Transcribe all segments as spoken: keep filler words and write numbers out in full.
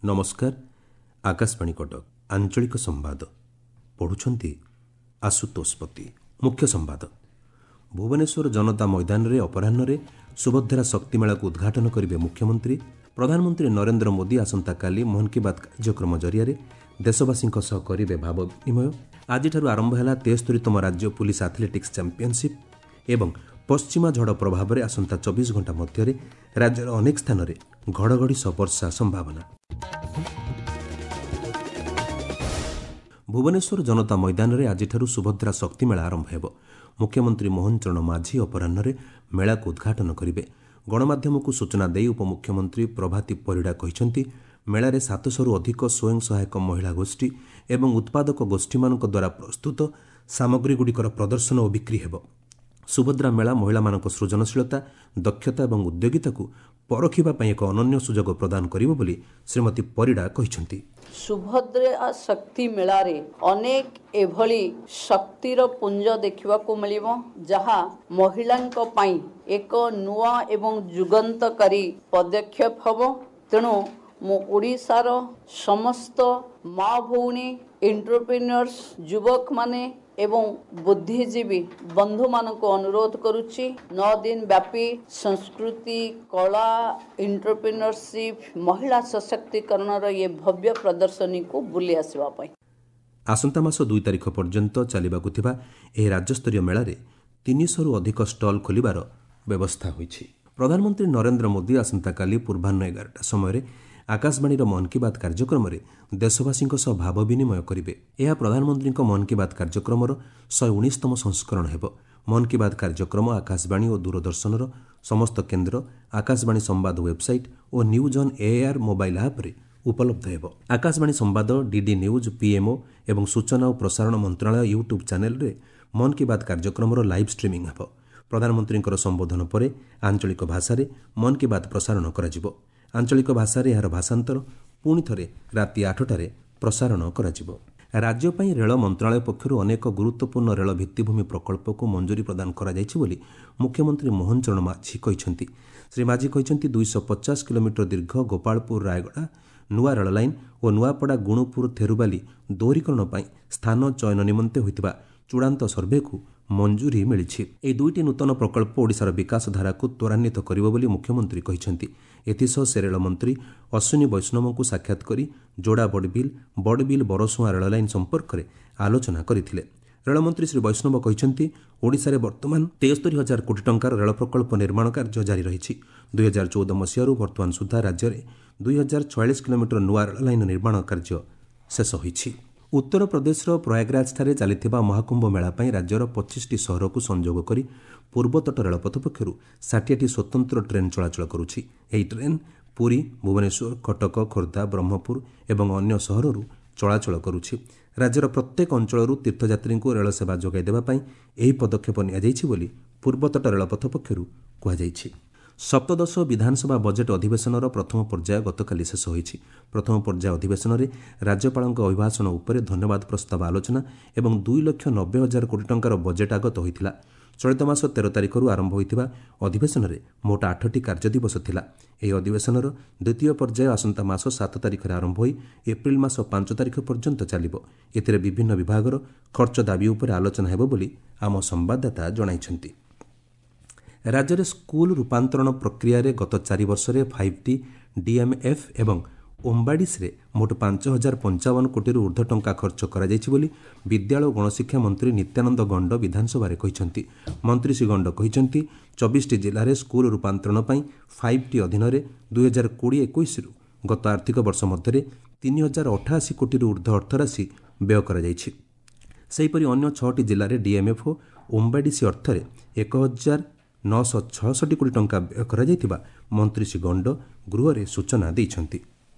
ନମସ୍କାର, ଆକାଶବାଣୀ କଟକ, ଆଞ୍ଚଳିକ ସମ୍ବାଦ ପଢ଼ୁଛନ୍ତି ଆଶୁତୋଷ ପତି। ମୁଖ୍ୟ ସମ୍ବାଦ। ଭୁବନେଶ୍ୱର ଜନତା ମଇଦାନରେ ଅପରାହ୍ନରେ ସୁଭଦ୍ରା ଶକ୍ତି ମେଳାକୁ ଉଦ୍ଘାଟନ କରିବେ ମୁଖ୍ୟମନ୍ତ୍ରୀ। ପ୍ରଧାନମନ୍ତ୍ରୀ ନରେନ୍ଦ୍ର ମୋଦି ଆସନ୍ତାକାଲି ମନ୍ କି ବାତ୍ କାର୍ଯ୍ୟକ୍ରମ ଜରିଆରେ ଦେଶବାସୀଙ୍କ ସହ କରିବେ ଭାବ ବିନିମୟ। ଆଜିଠାରୁ ଆରମ୍ଭ ହେଲା ତେସ୍ତରୀତମ ରାଜ୍ୟ ପୁଲିସ ଆଥଲେଟିକ୍ସ ଚାମ୍ପିୟନସିପ୍ ଏବଂ ପଶ୍ଚିମା ଝଡ଼ ପ୍ରଭାବରେ ଆସନ୍ତା ଚବିଶ ଘଣ୍ଟା ମଧ୍ୟରେ ରାଜ୍ୟର ଅନେକ ସ୍ଥାନରେ ଘଡ଼ଘଡ଼ି ସହ ବର୍ଷା ସମ୍ଭାବନା। ଭୁବନେଶ୍ୱର ଜନତା ମଇଦାନରେ ଆଜିଠାରୁ ସୁଭଦ୍ରା ଶକ୍ତି ମେଳା ଆରମ୍ଭ ହେବ। ମୁଖ୍ୟମନ୍ତ୍ରୀ ମୋହନ ଚରଣ ମାଝୀ ଅପରାହ୍ନରେ ମେଳାକୁ ଉଦ୍ଘାଟନ କରିବେ। ଗଣମାଧ୍ୟମକୁ ସୂଚନା ଦେଇ ଉପମୁଖ୍ୟମନ୍ତ୍ରୀ ପ୍ରଭାତୀ ପରିଡ଼ା କହିଛନ୍ତି, ମେଳାରେ ସାତଶହରୁ ଅଧିକ ସ୍ୱୟଂ ସହାୟକ ମହିଳା ଗୋଷ୍ଠୀ ଏବଂ ଉତ୍ପାଦକ ଗୋଷ୍ଠୀମାନଙ୍କ ଦ୍ୱାରା ପ୍ରସ୍ତୁତ ସାମଗ୍ରୀଗୁଡ଼ିକର ପ୍ରଦର୍ଶନ ଓ ବିକ୍ରି ହେବ। ସୁଭଦ୍ରା ମେଳା ମହିଳାମାନଙ୍କ ସୃଜନଶୀଳତା, ଦକ୍ଷତା ଏବଂ ଉଦ୍ୟୋଗିତାକୁ ପରଖିବା ପାଇଁ ଏକ ଅନନ୍ୟ ସୁଯୋଗ ପ୍ରଦାନ କରିବ ବୋଲି ଶ୍ରୀମତୀ ପରିଡ଼ା କହିଛନ୍ତି। ସୁଭଦ୍ରା ଶକ୍ତି ମେଳାରେ ଅନେକ ଏଭଳି ଶକ୍ତିର ପୁଞ୍ଜ ଦେଖିବାକୁ ମିଳିବ, ଯାହା ମହିଳାଙ୍କ ପାଇଁ ଏକ ନୂଆ ଏବଂ ଯୁଗାନ୍ତକାରୀ ପଦକ୍ଷେପ ହେବ। ତେଣୁ ମୁଁ ଓଡ଼ିଶାର ସମସ୍ତ ମା ଭଉଣୀ, ଏଣ୍ଟରପ୍ରିନିୟର୍ସ, ଯୁବକମାନେ ଏବଂ ବୁଦ୍ଧିଜୀବୀ ବନ୍ଧୁମାନଙ୍କୁ ଅନୁରୋଧ କରୁଛି, ନଅ ଦିନ ବ୍ୟାପୀ ସଂସ୍କୃତି, କଳା, ଏଣ୍ଟରପ୍ରିନିୟରସିପ୍, ମହିଳା ସଶକ୍ତିକରଣର ଏ ଭବ୍ୟ ପ୍ରଦର୍ଶନୀକୁ ବୁଲି ଆସିବା ପାଇଁ। ଆସନ୍ତା ମାସ ଦୁଇ ତାରିଖ ପର୍ଯ୍ୟନ୍ତ ଚାଲିବାକୁ ଥିବା ଏହି ରାଜ୍ୟସ୍ତରୀୟ ମେଳାରେ ତିନିଶହରୁ ଅଧିକ ଷ୍ଟଲ୍ ଖୋଲିବାର ବ୍ୟବସ୍ଥା ହୋଇଛି। ପ୍ରଧାନମନ୍ତ୍ରୀ ନରେନ୍ଦ୍ର ମୋଦି ଆସନ୍ତାକାଲି ପୂର୍ବାହ୍ନ ଏଗାରଟା ସମୟରେ ଆକାଶବାଣୀର ମନ୍ କି ବାତ୍ କାର୍ଯ୍ୟକ୍ରମରେ ଦେଶବାସୀଙ୍କ ସହ ଭାବ ବିନିମୟ କରିବେ। ଏହା ପ୍ରଧାନମନ୍ତ୍ରୀଙ୍କ ମନ୍ କି ବାତ୍ କାର୍ଯ୍ୟକ୍ରମର ଶହେ ଉଣେଇଶତମ ସଂସ୍କରଣ ହେବ। ମନ୍ କି ବାତ୍ କାର୍ଯ୍ୟକ୍ରମ ଆକାଶବାଣୀ ଓ ଦୂରଦର୍ଶନର ସମସ୍ତ କେନ୍ଦ୍ର, ଆକାଶବାଣୀ ସମ୍ବାଦ ୱେବ୍ସାଇଟ୍ ଓ ନ୍ୟୁଜ୍ ଅନ୍ ଏଆର୍ ମୋବାଇଲ୍ ଆପ୍ରେ ଉପଲବ୍ଧ ହେବ। ଆକାଶବାଣୀ ସମ୍ବାଦ, ଡିଡି ନ୍ୟୁଜ୍, ପିଏମ୍ଓ ଏବଂ ସୂଚନା ଓ ପ୍ରସାରଣ ମନ୍ତ୍ରଣାଳୟ ୟୁଟ୍ୟୁବ୍ ଚ୍ୟାନେଲ୍ରେ ମନ୍ କି ବାତ୍ କାର୍ଯ୍ୟକ୍ରମର ଲାଇଭ୍ ଷ୍ଟ୍ରିମିଂ ହେବ। ପ୍ରଧାନମନ୍ତ୍ରୀଙ୍କର ସମ୍ବୋଧନ ପରେ ଆଞ୍ଚଳିକ ଭାଷାରେ ମନ୍ କି ବାତ୍ ପ୍ରସାରଣ କରାଯିବ। ଆଞ୍ଚଳିକ ଭାଷାରେ ଏହାର ଭାଷାନ୍ତର ପୁଣି ଥରେ ରାତି ଆଠଟାରେ ପ୍ରସାରଣ କରାଯିବ। ରାଜ୍ୟ ପାଇଁ ରେଳ ମନ୍ତ୍ରଣାଳୟ ପକ୍ଷରୁ ଅନେକ ଗୁରୁତ୍ୱପୂର୍ଣ୍ଣ ରେଳ ଭିତ୍ତିଭୂମି ପ୍ରକଳ୍ପକୁ ମଞ୍ଜୁରୀ ପ୍ରଦାନ କରାଯାଇଛି ବୋଲି ମୁଖ୍ୟମନ୍ତ୍ରୀ ମୋହନ ଚରଣ ମାଝୀ କହିଛନ୍ତି। ଶ୍ରୀ ମାଝୀ କହିଛନ୍ତି, ଦୁଇଶହ ପଚାଶ କିଲୋମିଟର ଦୀର୍ଘ ଗୋପାଳପୁର ରାୟଗଡ଼ା ନୂଆ ରେଳ ଲାଇନ୍ ଓ ନୂଆପଡ଼ା ଗୁଣୁପୁର ଥେରୁବାଲି ଦୋହରୀକରଣ ପାଇଁ ସ୍ଥାନ ଚୟନ ନିମନ୍ତେ ହୋଇଥିବା ଚୂଡ଼ାନ୍ତ ସର୍ଭେକୁ ମଞ୍ଜୁରୀ ମିଳିଛି। ଏହି ଦୁଇଟି ନୂତନ ପ୍ରକଳ୍ପ ଓଡ଼ିଶାର ବିକାଶ ଧାରାକୁ ତ୍ୱରାନ୍ୱିତ କରିବ ବୋଲି ମୁଖ୍ୟମନ୍ତ୍ରୀ କହିଛନ୍ତି। ଏଥିସହ ସେ ରେଳମନ୍ତ୍ରୀ ଅଶ୍ୱିନୀ ବୈଷ୍ଣବଙ୍କୁ ସାକ୍ଷାତ କରି ଯୋଡ଼ା ବଡ଼ବିଲ, ବଡ଼ବିଲ ବରସୁଆଁ ରେଳ ଲାଇନ୍ ସମ୍ପର୍କରେ ଆଲୋଚନା କରିଥିଲେ। ରେଳମନ୍ତ୍ରୀ ଶ୍ରୀ ବୈଷ୍ଣବ କହିଛନ୍ତି, ଓଡ଼ିଶାରେ ବର୍ତ୍ତମାନ ତେସ୍ତରୀ ହଜାର କୋଟି ଟଙ୍କାର ରେଳ ପ୍ରକଳ୍ପ ନିର୍ମାଣ କାର୍ଯ୍ୟ ଜାରି ରହିଛି। ଦୁଇ ହଜାର ଚଉଦ ମସିହାରୁ ବର୍ତ୍ତମାନ ସୁଦ୍ଧା ରାଜ୍ୟରେ ଦୁଇ ହଜାର ଛୟାଳିଶ କିଲୋମିଟର ନୂଆ ରେଳ ଲାଇନ୍ ନିର୍ମାଣ କାର୍ଯ୍ୟ ଶେଷ ହୋଇଛି। ଉତ୍ତରପ୍ରଦେଶର ପ୍ରୟାଗରାଜଠାରେ ଚାଲିଥିବା ମହାକୁମ୍ଭ ମେଳା ପାଇଁ ରାଜ୍ୟର ପଚିଶଟି ସହରକୁ ସଂଯୋଗ କରି ପୂର୍ବତଟ ରେଳପଥ ପକ୍ଷରୁ ଷାଠିଏଟି ସ୍ୱତନ୍ତ୍ର ଟ୍ରେନ୍ ଚଳାଚଳ କରୁଛି। ଏହି ଟ୍ରେନ୍ ପୁରୀ, ଭୁବନେଶ୍ୱର, କଟକ, ଖୋର୍ଦ୍ଧା, ବ୍ରହ୍ମପୁର ଏବଂ ଅନ୍ୟ ସହରରୁ ଚଳାଚଳ କରୁଛି। ରାଜ୍ୟର ପ୍ରତ୍ୟେକ ଅଞ୍ଚଳରୁ ତୀର୍ଥଯାତ୍ରୀଙ୍କୁ ରେଳ ସେବା ଯୋଗାଇ ଦେବା ପାଇଁ ଏହି ପଦକ୍ଷେପ ନିଆଯାଇଛି ବୋଲି ପୂର୍ବତଟ ରେଳପଥ ପକ୍ଷରୁ କୁହାଯାଇଛି। ସପ୍ତଦଶ ବିଧାନସଭା ବଜେଟ୍ ଅଧିବେଶନର ପ୍ରଥମ ପର୍ଯ୍ୟାୟ ଗତକାଲି ଶେଷ ହୋଇଛି। ପ୍ରଥମ ପର୍ଯ୍ୟାୟ ଅଧିବେଶନରେ ରାଜ୍ୟପାଳଙ୍କ ଅଭିଭାଷଣ ଉପରେ ଧନ୍ୟବାଦ ପ୍ରସ୍ତାବ ଆଲୋଚନା ଏବଂ ଦୁଇ ଲକ୍ଷ ନବେ ହଜାର କୋଟି ଟଙ୍କାର ବଜେଟ୍ ଆଗତ ହୋଇଥିଲା। ଚଳିତ ମାସ ତେର ତାରିଖରୁ ଆରମ୍ଭ ହୋଇଥିବା ଅଧିବେଶନରେ ମୋଟ ଆଠଟି କାର୍ଯ୍ୟଦିବସ ଥିଲା। ଏହି ଅଧିବେଶନର ଦ୍ୱିତୀୟ ପର୍ଯ୍ୟାୟ ଆସନ୍ତା ମାସ ସାତ ତାରିଖରେ ଆରମ୍ଭ ହୋଇ ଏପ୍ରିଲ ମାସ ପାଞ୍ଚ ତାରିଖ ପର୍ଯ୍ୟନ୍ତ ଚାଲିବ। ଏଥିରେ ବିଭିନ୍ନ ବିଭାଗର ଖର୍ଚ୍ଚ ଦାବି ଉପରେ ଆଲୋଚନା ହେବ ବୋଲି ଆମ ସମ୍ବାଦଦାତା ଜଣାଇଛନ୍ତି। ରାଜ୍ୟରେ ସ୍କୁଲ ରୂପାନ୍ତରଣ ପ୍ରକ୍ରିୟାରେ ଗତ ଚାରି ବର୍ଷରେ ଫାଇଭ୍ ଟି, ଡିଏମ୍ଏଫ୍ ଏବଂ ଓମ୍ବାଡିସ୍ରେ ମୋଟ ପାଞ୍ଚ ହଜାର ପଞ୍ଚାବନ କୋଟିରୁ ଉର୍ଦ୍ଧ୍ୱ ଟଙ୍କା ଖର୍ଚ୍ଚ କରାଯାଇଛି ବୋଲି ବିଦ୍ୟାଳୟ ଓ ଗଣଶିକ୍ଷା ମନ୍ତ୍ରୀ ନିତ୍ୟାନନ୍ଦ ଗଣ୍ଡ ବିଧାନସଭାରେ କହିଛନ୍ତି। ମନ୍ତ୍ରୀ ଶ୍ରୀ ଗଣ୍ଡ କହିଛନ୍ତି, ଚବିଶଟି ଜିଲ୍ଲାରେ ସ୍କୁଲ ରୂପାନ୍ତରଣ ପାଇଁ ଫାଇଭ୍ ଟି ଅଧୀନରେ ଦୁଇ ହଜାର କୋଡ଼ିଏ ଏକୋଇଶରୁ ଗତ ଆର୍ଥିକ ବର୍ଷ ମଧ୍ୟରେ ତିନି ହଜାର ଅଠାଅଶୀ କୋଟିରୁ ଉର୍ଦ୍ଧ୍ୱ ଅର୍ଥରାଶି ବ୍ୟୟ କରାଯାଇଛି। ସେହିପରି ଅନ୍ୟ ଛଅଟି ଜିଲ୍ଲାରେ ଡିଏମ୍ଏଫ୍ ଓ ଓମ୍ବାଡିସି ଅର୍ଥରେ ଏକ ହଜାର ନଅଶହ ଛଅଷଠି କୋଟି ଟଙ୍କା ବ୍ୟୟ କରାଯାଇଥିବା ମନ୍ତ୍ରୀ ଶ୍ରୀ ଗଣ୍ଡ ଗୃହରେ ସୂଚନା ଦେଇଛନ୍ତି।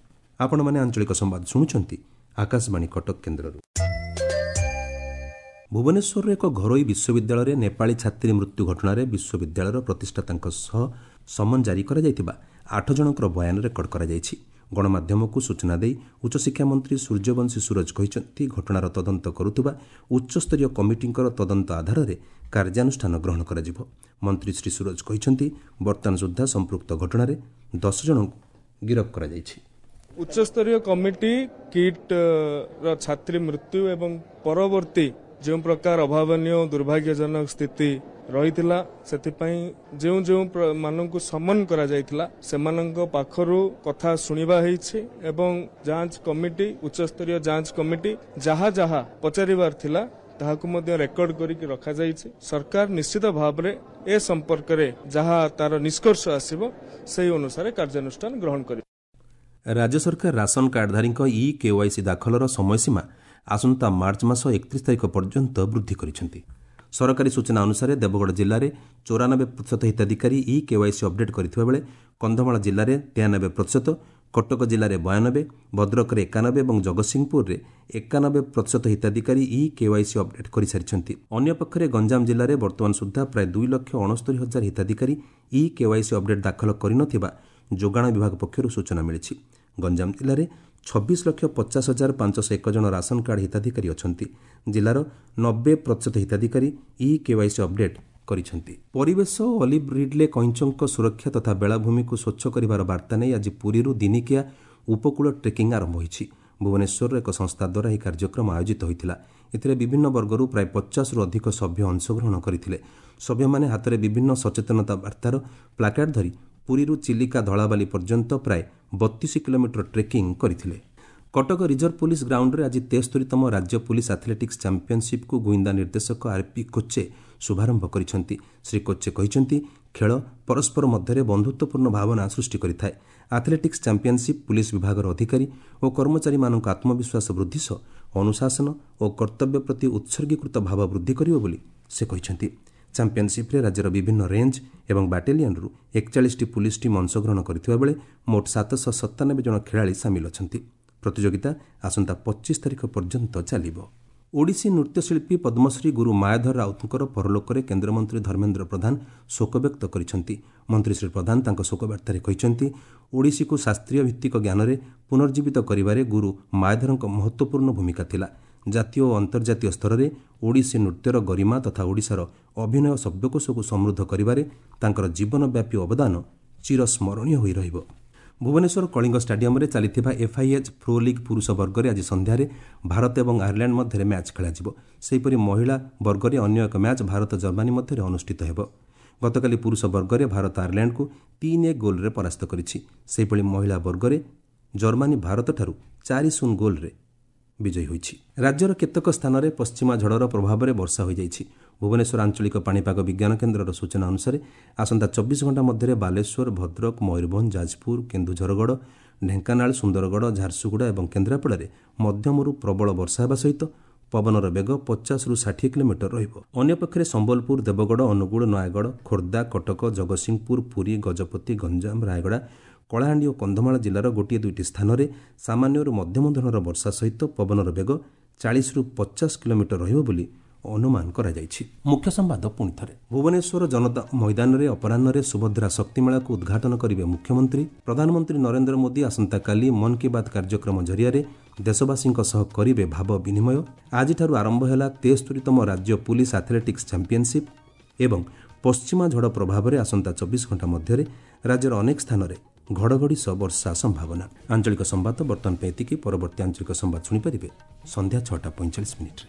ଆପଣମାନେ ଆଞ୍ଚଳିକ ସମ୍ବାଦ ଶୁଣୁଛନ୍ତି ଆକାଶବାଣୀ କଟକ କେନ୍ଦ୍ରରୁ। ଭୁବନେଶ୍ୱରର ଏକ ଘରୋଇ ବିଶ୍ୱବିଦ୍ୟାଳୟରେ ନେପାଳୀ ଛାତ୍ରୀ ମୃତ୍ୟୁ ଘଟଣାରେ ବିଶ୍ୱବିଦ୍ୟାଳୟର ପ୍ରତିଷ୍ଠାତାଙ୍କ ସହ ସମନ ଜାରି କରାଯାଇଥିବା ଆଠ ଜଣଙ୍କର ବୟାନ ରେକର୍ଡ କରାଯାଇଛି। ଗଣମାଧ୍ୟମକୁ ସୂଚନା ଦେଇ ଉଚ୍ଚଶିକ୍ଷା ମନ୍ତ୍ରୀ ସୂର୍ଯ୍ୟବଂଶୀ ସୂରଜ କହିଛନ୍ତି, ଘଟଣାର ତଦନ୍ତ କରୁଥିବା ଉଚ୍ଚସ୍ତରୀୟ କମିଟିଙ୍କର ତଦନ୍ତ ଆଧାରରେ କାର୍ଯ୍ୟାନୁଷ୍ଠାନ ଗ୍ରହଣ କରାଯିବ। ମନ୍ତ୍ରୀ ଶ୍ରୀ ସୂରଜ କହିଛନ୍ତି, ବର୍ତ୍ତମାନ ସୁଦ୍ଧା ସମ୍ପୃକ୍ତ ଘଟଣାରେ ଦଶ ଜଣଙ୍କୁ ଗିରଫ କରାଯାଇଛି। ଉଚ୍ଚସ୍ତରୀୟ କମିଟି କିଟ୍ ର ଛାତ୍ରୀ ମୃତ୍ୟୁ ଏବଂ ପରବର୍ତ୍ତୀ ଯେଉଁ ପ୍ରକାର ଅଭାବନୀୟ ଦୁର୍ଭାଗ୍ୟଜନକ ସ୍ଥିତି ରହିଥିଲା, ସେଥିପାଇଁ ଯେଉଁ ଯେଉଁ ମାନଙ୍କୁ ସମନ କରାଯାଇଥିଲା ସେମାନଙ୍କ ପାଖରୁ କଥା ଶୁଣିବା ହେଇଛି ଏବଂ ଯାଞ୍ଚ କମିଟି, ଉଚ୍ଚସ୍ତରୀୟ ଯାଞ୍ଚ କମିଟି ଯାହା ଯାହା ପଚାରିବାର ଥିଲା ତାହାକୁ ମଧ୍ୟ ରେକର୍ଡ କରିକି ରଖାଯାଇଛି। ସରକାର ନିଶ୍ଚିତ ଭାବରେ ଏ ସମ୍ପର୍କରେ ଯାହା ତାର ନିଷ୍କର୍ଷ ଆସିବ ସେହି ଅନୁସାରେ କାର୍ଯ୍ୟାନୁଷ୍ଠାନ ଗ୍ରହଣ କରିବେ। ରାଜ୍ୟ ସରକାର ରାସନ କାର୍ଡଧାରୀଙ୍କ ଇ କେୱାଇସି ଦାଖଲର ସମୟସୀମା ଆସନ୍ତା ମାର୍ଚ୍ଚ ମାସ ଏକତିରିଶ ତାରିଖ ପର୍ଯ୍ୟନ୍ତ ବୃଦ୍ଧି କରିଛନ୍ତି। ସରକାରୀ ସୂଚନା ଅନୁସାରେ ଦେବଗଡ଼ ଜିଲ୍ଲାରେ ଚଉରାନବେ ପ୍ରତିଶତ ହିତାଧିକାରୀ ଇ କେୱାଇସି ଅପଡେଟ୍ କରିଥିବା ବେଳେ କନ୍ଧମାଳ ଜିଲ୍ଲାରେ ତେୟାନବେ ପ୍ରତିଶତ, କଟକ ଜିଲ୍ଲାରେ ବୟାନବେ, ଭଦ୍ରକରେ ଏକାନବେ ଏବଂ ଜଗତସିଂହପୁରରେ ଏକାନବେ ପ୍ରତିଶତ ହିତାଧିକାରୀ ଇ କେୱାଇସି ଅପଡେଟ୍ କରିସାରିଛନ୍ତି। ଅନ୍ୟପକ୍ଷରେ ଗଞ୍ଜାମ ଜିଲ୍ଲାରେ ବର୍ତ୍ତମାନ ସୁଦ୍ଧା ପ୍ରାୟ ଦୁଇ ଲକ୍ଷ ଅଣସ୍ତରୀ ହଜାର ହିତାଧିକାରୀ ଇ କେୱାଇସି ଅପଡେଟ୍ ଦାଖଲ କରିନଥିବା ଯୋଗାଣ ବିଭାଗ ପକ୍ଷରୁ ସୂଚନା ମିଳିଛି। ଗଞ୍ଜାମ ଜିଲ୍ଲାରେ ଛବିଶ ଲକ୍ଷ ପଚାଶ ହଜାର ପାଞ୍ଚଶହ ଏକ ଜଣ ରାସନ କାର୍ଡ ହିତାଧିକାରୀ ଅଛନ୍ତି। ଜିଲ୍ଲାର ନବେ ପ୍ରତିଶତ ହିତାଧିକାରୀ ଇ କେୱାଇସି ଅପଡେଟ୍ କରିଛନ୍ତି। ପରିବେଶ ଓ ଅଲିଭ୍ ରିଡ୍ଲେ କଇଁଚଙ୍କ ସୁରକ୍ଷା ତଥା ବେଳାଭୂମିକୁ ସ୍ୱଚ୍ଛ କରିବାର ବାର୍ତ୍ତା ନେଇ ଆଜି ପୁରୀରୁ ଦିନିକିଆ ଉପକୂଳ ଟ୍ରେକିଂ ଆରମ୍ଭ ହୋଇଛି। ଭୁବନେଶ୍ୱରର ଏକ ସଂସ୍ଥା ଦ୍ୱାରା ଏହି କାର୍ଯ୍ୟକ୍ରମ ଆୟୋଜିତ ହୋଇଥିଲା। ଏଥିରେ ବିଭିନ୍ନ ବର୍ଗରୁ ପ୍ରାୟ ପଚାଶରୁ ଅଧିକ ସଭ୍ୟ ଅଂଶଗ୍ରହଣ କରିଥିଲେ। ସଭ୍ୟମାନେ ହାତରେ ବିଭିନ୍ନ ସଚେତନତା ବାର୍ତ୍ତାର ପ୍ଲାକାର୍ଡ ଧରି ପୁରୀରୁ ଚିଲିକା ଧଳାବାଲି ପର୍ଯ୍ୟନ୍ତ ପ୍ରାୟ ବତିଶ କିଲୋମିଟର ଟ୍ରେକିଂ କରିଥିଲେ। କଟକ ରିଜର୍ଭ ପୋଲିସ ଗ୍ରାଉଣ୍ଡରେ ଆଜି ତେସ୍ତରୀତମ ରାଜ୍ୟ ପୋଲିସ ଆଥଲେଟିକ୍ସ ଚାମ୍ପିୟନସିପ୍କୁ ଗୁଇନ୍ଦା ନିର୍ଦ୍ଦେଶକ ଆର୍ପି କୋଚେ ଶୁଭାରମ୍ଭ କରିଛନ୍ତି। ଶ୍ରୀ କୋଚେ କହିଛନ୍ତି, ଖେଳ ପରସ୍ପର ମଧ୍ୟରେ ବନ୍ଧୁତ୍ୱପୂର୍ଣ୍ଣ ଭାବନା ସୃଷ୍ଟି କରିଥାଏ। ଆଥଲେଟିକ୍ସ ଚାମ୍ପିୟନସିପ୍ ପୁଲିସ ବିଭାଗର ଅଧିକାରୀ ଓ କର୍ମଚାରୀମାନଙ୍କ ଆତ୍ମବିଶ୍ୱାସ ବୃଦ୍ଧି ସହ ଅନୁଶାସନ ଓ କର୍ତ୍ତବ୍ୟ ପ୍ରତି ଉତ୍ସର୍ଗୀକୃତ ଭାବ ବୃଦ୍ଧି କରିବ ବୋଲି ସେ କହିଛନ୍ତି। ଚାମ୍ପିୟନସିପ୍ରେ ରାଜ୍ୟର ବିଭିନ୍ନ ରେଞ୍ଜ ଏବଂ ବାଟାଲିୟନରୁ ଏକଚାଳିଶଟି ପୁଲିସ ଟିମ୍ ଅଂଶଗ୍ରହଣ କରିଥିବା ବେଳେ ମୋଟ ସାତଶହ ସତାନବେ ଜଣ ଖେଳାଳି ସାମିଲ ଅଛନ୍ତି। ପ୍ରତିଯୋଗିତା ଆସନ୍ତା ପଚିଶ ତାରିଖ ପର୍ଯ୍ୟନ୍ତ ଚାଲିବ। ଓଡ଼ିଶୀ ନୃତ୍ୟଶିଳ୍ପୀ ପଦ୍ମଶ୍ରୀ ଗୁରୁ ମାୟାଧର ରାଉତଙ୍କର ପରଲୋକରେ କେନ୍ଦ୍ରମନ୍ତ୍ରୀ ଧର୍ମେନ୍ଦ୍ର ପ୍ରଧାନ ଶୋକବ୍ୟକ୍ତ କରିଛନ୍ତି। ମନ୍ତ୍ରୀ ଶ୍ରୀ ପ୍ରଧାନ ତାଙ୍କ ଶୋକବାର୍ତ୍ତାରେ କହିଛନ୍ତି, ଓଡ଼ିଶୀକୁ ଶାସ୍ତ୍ରୀୟ ଭିତ୍ତିକ ଜ୍ଞାନରେ ପୁନର୍ଜୀବିତ କରିବାରେ ଗୁରୁ ମାୟାଧରଙ୍କ ମହତ୍ତ୍ୱପୂର୍ଣ୍ଣ ଭୂମିକା ଥିଲା। ଜାତୀୟ ଓ ଅନ୍ତର୍ଜାତୀୟ ସ୍ତରରେ ଓଡ଼ିଶୀ ନୃତ୍ୟର ଗରିମା ତଥା ଓଡ଼ିଶାର ଅଭିନୟ ଶବ୍ଦକୋଷକୁ ସମୃଦ୍ଧ କରିବାରେ ତାଙ୍କର ଜୀବନବ୍ୟାପୀ ଅବଦାନ ଚିରସ୍ମରଣୀୟ ହୋଇ ରହିବ। ଭୁବନେଶ୍ୱର କଳିଙ୍ଗ ଷ୍ଟାଡିୟମରେ ଚାଲିଥିବା ଏଫ୍ଆଇଏଚ୍ ପ୍ରୋ ଲିଗ୍ ପୁରୁଷ ବର୍ଗରେ ଆଜି ସନ୍ଧ୍ୟାରେ ଭାରତ ଏବଂ ଆୟାରଲ୍ୟାଣ୍ଡ ମଧ୍ୟରେ ମ୍ୟାଚ୍ ଖେଳାଯିବ। ସେହିପରି ମହିଳା ବର୍ଗରେ ଅନ୍ୟ ଏକ ମ୍ୟାଚ୍ ଭାରତ ଜର୍ମାନୀ ମଧ୍ୟରେ ଅନୁଷ୍ଠିତ ହେବ। ଗତକାଲି ପୁରୁଷ ବର୍ଗରେ ଭାରତ ଆୟାରଲ୍ୟାଣ୍ଡକୁ ତିନି ଏକ ଗୋଲ୍ରେ ପରାସ୍ତ କରିଛି। ସେହିଭଳି ମହିଳା ବର୍ଗରେ ଜର୍ମାନୀ ଭାରତଠାରୁ ଚାରି ଶୂନ ଗୋଲ୍ରେ ବିଜୟୀ ହୋଇଛି। ରାଜ୍ୟର କେତେକ ସ୍ଥାନରେ ପଶ୍ଚିମା ଝଡ଼ର ପ୍ରଭାବରେ ବର୍ଷା ହୋଇଯାଇଛି। ଭୁବନେଶ୍ୱର ଆଞ୍ଚଳିକ ପାଣିପାଗ ବିଜ୍ଞାନ କେନ୍ଦ୍ରର ସୂଚନା ଅନୁସାରେ ଆସନ୍ତା ଚବିଶ ଘଣ୍ଟା ମଧ୍ୟରେ ବାଲେଶ୍ୱର, ଭଦ୍ରକ, ମୟୂରଭଞ୍ଜ, ଯାଜପୁର, କେନ୍ଦୁଝରଗଡ଼, ଢେଙ୍କାନାଳ, ସୁନ୍ଦରଗଡ଼, ଝାରସୁଗୁଡ଼ା ଏବଂ କେନ୍ଦ୍ରାପଡ଼ାରେ ମଧ୍ୟମରୁ ପ୍ରବଳ ବର୍ଷା ହେବା ସହିତ ପବନର ବେଗ ପଚାଶରୁ ଷାଠିଏ କିଲୋମିଟର ରହିବ। ଅନ୍ୟପକ୍ଷରେ ସମ୍ବଲପୁର, ଦେବଗଡ଼, ଅନୁଗୁଳ, ନୟାଗଡ଼, ଖୋର୍ଦ୍ଧା, କଟକ, ଜଗତସିଂହପୁର, ପୁରୀ, ଗଜପତି, ଗଞ୍ଜାମ, ରାୟଗଡ଼ା, କଳାହାଣ୍ଡି ଓ କନ୍ଧମାଳ ଜିଲ୍ଲାର ଗୋଟିଏ ଦୁଇଟି ସ୍ଥାନରେ ସାମାନ୍ୟରୁ ମଧ୍ୟମ ଧରଣର ବର୍ଷା ସହିତ ପବନର ବେଗ ଚାଳିଶରୁ ପଚାଶ କିଲୋମିଟର ରହିବ ବୋଲି ଅନୁମାନ କରାଯାଇଛି। ମୁଖ୍ୟ ସମ୍ବାଦ ପୁଣି ଥରେ। ଭୁବନେଶ୍ୱର ଜନତା ମଇଦାନରେ ଅପରାହ୍ନରେ ସୁଭଦ୍ରା ଶକ୍ତିମେଳାକୁ ଉଦ୍ଘାଟନ କରିବେ ମୁଖ୍ୟମନ୍ତ୍ରୀ। ପ୍ରଧାନମନ୍ତ୍ରୀ ନରେନ୍ଦ୍ର ମୋଦି ଆସନ୍ତାକାଲି ମନ୍ କି ବାତ୍ କାର୍ଯ୍ୟକ୍ରମ ଜରିଆରେ ଦେଶବାସୀଙ୍କ ସହ କରିବେ ଭାବ ବିନିମୟ। ଆଜିଠାରୁ ଆରମ୍ଭ ହେଲା ତେସ୍ତରୀତମ ରାଜ୍ୟ ପୁଲିସ ଆଥଲେଟିକ୍ସ ଚାମ୍ପିୟନସିପ୍ ଏବଂ ପଶ୍ଚିମା ଝଡ଼ ପ୍ରଭାବରେ ଆସନ୍ତା ଚବିଶ ଘଣ୍ଟା ମଧ୍ୟରେ ରାଜ୍ୟର ଅନେକ ସ୍ଥାନରେ ଘଡ଼ଘଡ଼ି ସହ ବର୍ଷା ସମ୍ଭାବନା। ଆଞ୍ଚଳିକ ସମ୍ବାଦ ବର୍ତ୍ତମାନ ପାଇଁ ଏତିକି। ପରବର୍ତ୍ତୀ ଆଞ୍ଚଳିକ ସମ୍ବାଦ ଶୁଣିପାରିବେ ସନ୍ଧ୍ୟା ଛଅଟା ପଇଁଚାଳିଶ ମିନିଟ୍ରେ।